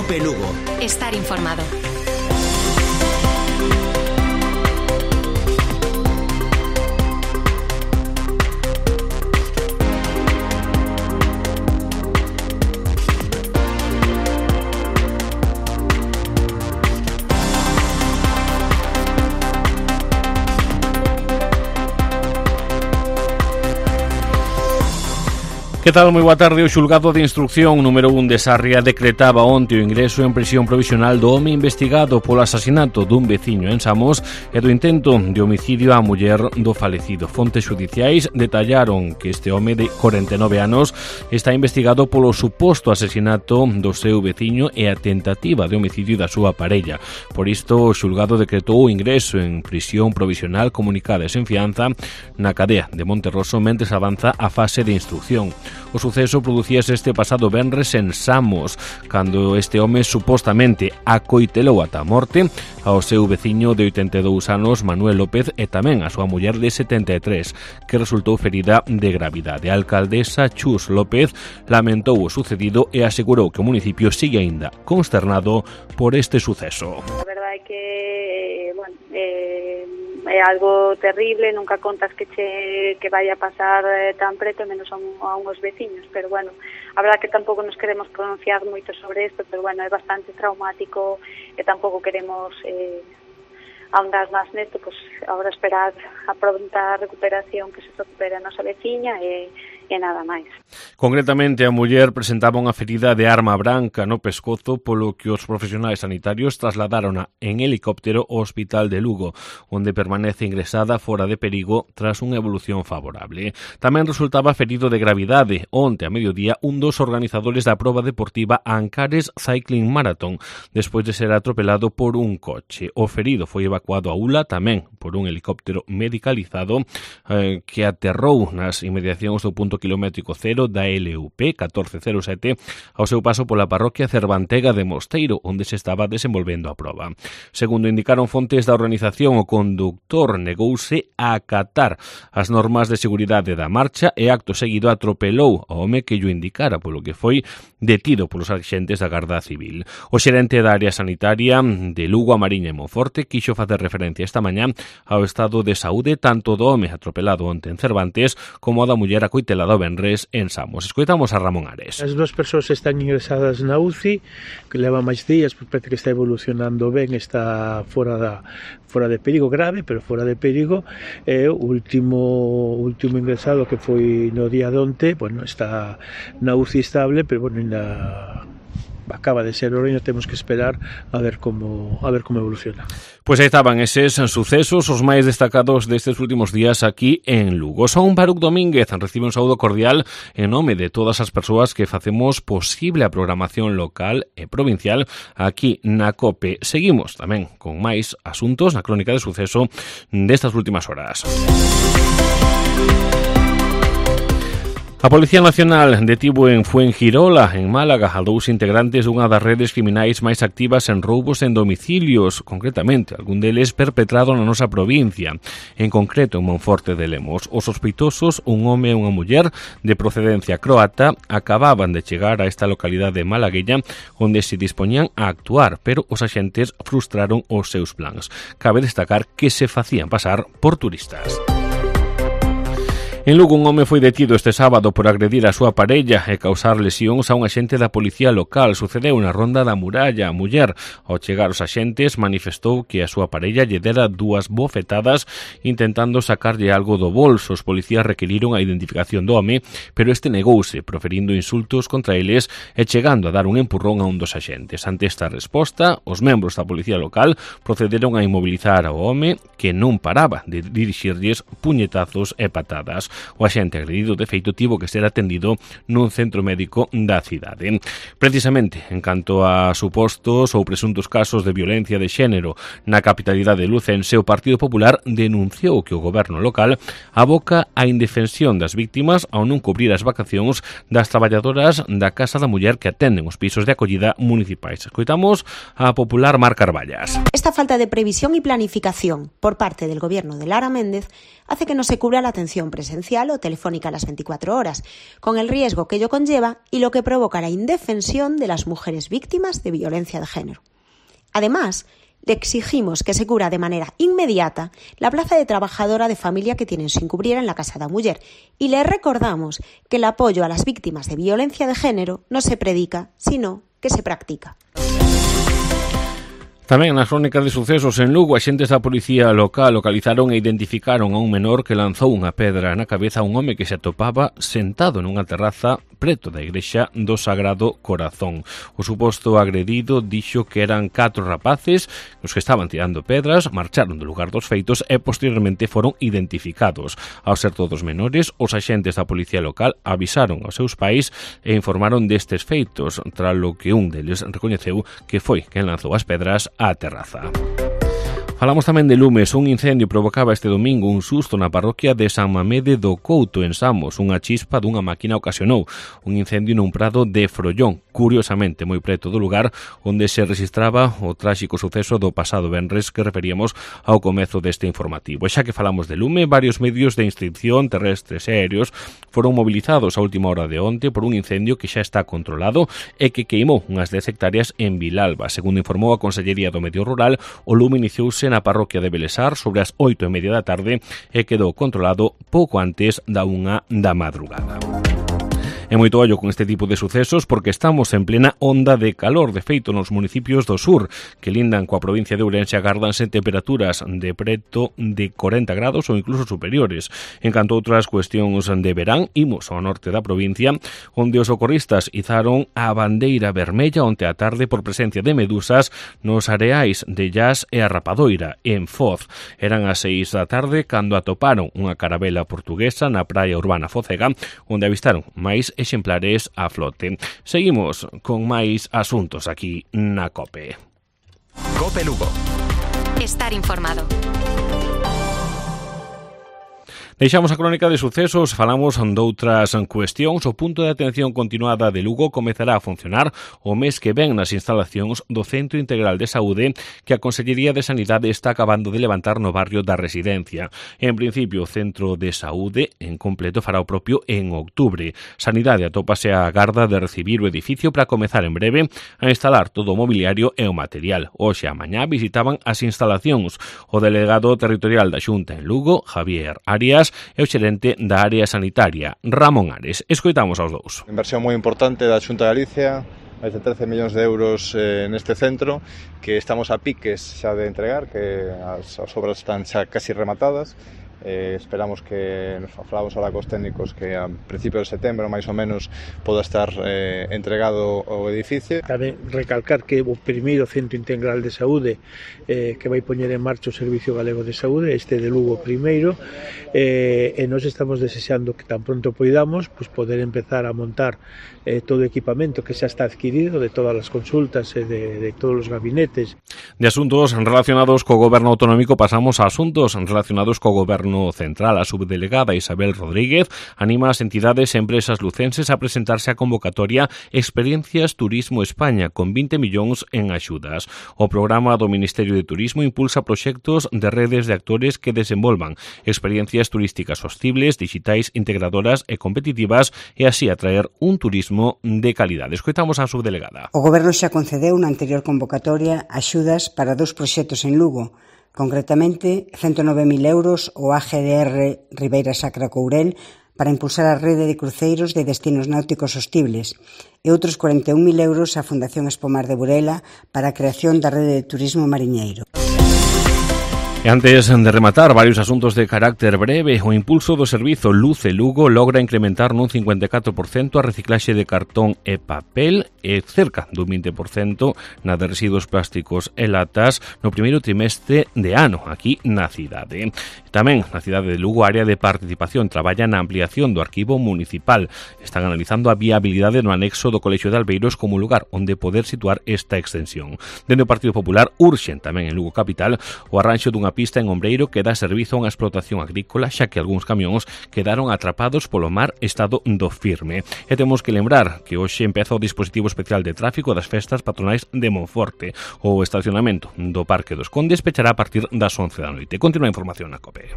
COPE Lugo. Estar informado. Que tal? Moi boa tarde. O xulgado de instrucción número 1 de Sarria decretaba onte o ingreso en prisión provisional do home investigado polo asasinato dun veciño en Samos e do intento de homicidio á muller do falecido. Fontes xudiciais detallaron que este home de 49 anos está investigado polo suposto asasinato do seu veciño e a tentativa de homicidio da súa parella. Por isto, o xulgado decretou o ingreso en prisión provisional comunicada e sen fianza na cadea de Monterroso mentres avanza a fase de instrucción. O suceso producíase este pasado venres en Samos, cando este home supostamente acoitelou ata a morte ao seu veciño de 82 anos, Manuel López, e tamén a súa muller de 73, que resultou ferida de gravidade. A alcaldesa Chus López lamentou o sucedido e asegurou que o municipio sigue aínda consternado por este suceso. A verdade é que, é algo terrible, nunca contas que vaya a pasar tan preto, menos a uns veciños, pero bueno, a verdade que tampouco nos queremos pronunciar moito sobre isto, pero bueno, é bastante traumático e tampouco queremos ahondar máis nesto, pois agora esperar a pronta recuperación, que se recupere a nosa veciña e nada máis. Concretamente, a muller presentaba unha ferida de arma branca no pescozo, polo que os profesionais sanitarios trasladárona en helicóptero ao Hospital de Lugo, onde permanece ingresada fora de perigo tras unha evolución favorable. Tamén resultaba ferido de gravidade onte a mediodía un dos organizadores da proba deportiva Ancares Cycling Marathon, despois de ser atropelado por un coche. O ferido foi evacuado a Ula tamén por un helicóptero medicalizado que aterrou nas inmediacións do punto kilométrico cero da LUP 1407 ao seu paso pola parroquia Cervantega de Mosteiro, onde se estaba desenvolvendo a proba. Segundo indicaron fontes da organización, o conductor negouse a acatar as normas de seguridade da marcha e acto seguido atropelou ao home que llo indicara, polo que foi detido polos agentes da Garda Civil. O xerente da área sanitaria de Lugo, a Mariña e Monforte quixo facer referencia esta mañá ao estado de saúde tanto do home atropelado onte en Cervantes como da muller acoitelada o venres en Samos. Escoitamos a Ramón Ares. As dúas persoas están ingresadas na UCI, que leva máis días, porque parece que está evolucionando ben, está fora de perigo grave, pero fora de perigo. O último ingresado, que foi no día de onte, bueno, está na UCI estable, pero bueno, acaba de ser hora e temos que esperar a ver como evoluciona. Pois aí estaban eses sucesos, os máis destacados destes últimos días aquí en Lugo. Son Baruc Domínguez, recibe un saúdo cordial en nome de todas as persoas que facemos posible a programación local e provincial aquí na COPE. Seguimos tamén con máis asuntos na crónica de suceso destas últimas horas. A Policía Nacional detivo en Fuengirola, en Málaga, a dous integrantes dunha das redes criminais máis activas en roubos en domicilios, concretamente, algún deles perpetrado na nosa provincia, en concreto en Monforte de Lemos. Os sospeitosos, un home e unha muller de procedencia croata, acababan de chegar a esta localidade malagueña onde se dispoñían a actuar, pero os axentes frustraron os seus plans. Cabe destacar que se facían pasar por turistas. En Lugo, un home foi detido este sábado por agredir a súa parella e causar lesións a un axente da policía local. Sucedeu na Ronda da Muralla. A muller, ao chegar os axentes, manifestou que a súa parella lle dera dúas bofetadas intentando sacarlle algo do bolso. Os policías requiriron a identificación do home, pero este negouse, proferindo insultos contra eles e chegando a dar un empurrón a un dos axentes. Ante esta resposta, os membros da policía local procederon a inmobilizar ao home, que non paraba de dirixirlles puñetazos e patadas. O axente agredido, de feito, tivo que ser atendido nun centro médico da cidade. Precisamente, en canto a supostos ou presuntos casos de violencia de xénero na capitalidade lucense, o Partido Popular denunciou que o goberno local aboca a indefensión das víctimas ao non cubrir as vacacións das traballadoras da Casa da Muller que atenden os pisos de acollida municipais. Escoitamos a popular Mar Carballas. Esta falta de previsión y planificación por parte del gobierno de Lara Méndez hace que no se cubra la atención presencial presencial o telefónica a las 24 horas, con el riesgo que ello conlleva y lo que provoca la indefensión de las mujeres víctimas de violencia de género. Además, le exigimos que se cubra de manera inmediata la plaza de trabajadora de familia que tienen sin cubrir en la Casa da Muller y le recordamos que el apoyo a las víctimas de violencia de género no se predica, sino que se practica. Tamén nas crónicas de sucesos en Lugo, axentes da policía local localizaron e identificaron a un menor que lanzou unha pedra na cabeza a un home que se atopaba sentado nunha terraza preto da igrexa do Sagrado Corazón. O suposto agredido dixo que eran 4 rapaces os que estaban tirando pedras, marcharon do lugar dos feitos e posteriormente foron identificados. Ao ser todos menores, os axentes da policía local avisaron aos seus pais e informaron destes feitos, tras lo que un deles recoñeceu que foi quen lanzou as pedras á terraza. Falamos tamén de lumes. Un incendio provocaba este domingo un susto na parroquia de San Mamede do Couto, en Samos. Unha chispa dunha máquina ocasionou un incendio nun prado de Frollón, curiosamente moi preto do lugar onde se registraba o tráxico suceso do pasado venres que referíamos ao comezo deste informativo. E xa que falamos de lume, varios medios de instrucción terrestres e aéreos foron movilizados a última hora de onte por un incendio que xa está controlado e que queimou unhas 10 hectáreas en Vilalba. Segundo informou a Consellería do Medio Rural, o lume iniciouse na parroquia de Belesar sobre as 8:30 da tarde e quedou controlado pouco antes da 1 da madrugada. E moito ollo con este tipo de sucesos porque estamos en plena onda de calor. De feito, nos municipios do sur que lindan coa provincia de Ourense agárdanse temperaturas de preto de 40 grados ou incluso superiores. En canto a outras cuestións de verán, imos ao norte da provincia, onde os socorristas izaron a bandeira vermella onte a tarde por presencia de medusas nos areais de Llas e a Rapadoira, en Foz. Eran as 6 da tarde cando atoparon unha carabela portuguesa na praia urbana focega, onde avistaron máis exemplares a flote. Seguimos con máis asuntos aquí na COPE. COPE Lugo. Estar informado. Deixamos a crónica de sucesos, falamos doutras cuestións. O punto de atención continuada de Lugo comezará a funcionar o mes que ven nas instalacións do Centro Integral de Saúde que a Consellería de Sanidade está acabando de levantar no barrio da Residencia. En principio, o Centro de Saúde en completo fará o propio en outubro. Sanidade atópase a garda de recibir o edificio para comezar en breve a instalar todo o mobiliario e o material. Hoxe a mañá visitaban as instalacións o delegado territorial da Xunta en Lugo, Javier Arias, e o xerente da área sanitaria, Ramón Ares. Escoitamos aos dous. Inversión moi importante da Xunta de Galicia, máis de 13 millóns de euros neste centro, que estamos a piques xa de entregar, que as obras están xa casi rematadas. Esperamos que, nos falamos ahora cos técnicos, que a principios de setembro máis ou menos poda estar entregado o edificio. Cabe recalcar que o primeiro Centro Integral de Saúde que vai poñer en marcha o Servicio Galego de Saúde, este de Lugo primeiro, e nós estamos desexando que tan pronto poidamos poder empezar a montar todo o equipamento que xa está adquirido de todas as consultas e de todos os gabinetes. De asuntos relacionados co goberno autonómico pasamos a asuntos relacionados co goberno central. A subdelegada Isabel Rodríguez anima as entidades e empresas lucenses a presentarse á convocatoria Experiencias Turismo España con 20 millóns en axudas. O programa do Ministerio de Turismo impulsa proxectos de redes de actores que desenvolvan experiencias turísticas sostibles, digitais, integradoras e competitivas e así atraer un turismo de calidade. Escoitamos a subdelegada. O Goberno xa concedeu na anterior convocatoria axudas para 2 proxectos en Lugo. Concretamente, 109.000 euros o AGDR Ribeira Sacra Courel para impulsar a rede de cruceiros de destinos náuticos sostibles e outros 41.000 euros á Fundación Espomar de Burela para a creación da rede de turismo mariñeiro. E antes de rematar varios asuntos de carácter breve, o impulso do servizo Luce Lugo logra incrementar nun 54% a reciclaxe de cartón e papel e cerca dun 20% na de residuos plásticos e latas no primeiro trimestre de ano aquí na cidade. Tamén na cidade de Lugo, a área de participación traballa na ampliación do arquivo municipal. Están analizando a viabilidade no anexo do Colexio de Albeiros como lugar onde poder situar esta extensión. Dende o Partido Popular urxen tamén en Lugo Capital o arranxo dunha pista en Ombreiro que dá servizo a unha explotación agrícola, xa que algúns camións quedaron atrapados polo mar estado do firme. E temos que lembrar que hoxe empeza o dispositivo especial de tráfico das festas patronais de Monforte. O estacionamento do Parque dos Condes pechará a partir das 11 da noite. Continúa a información na COPE.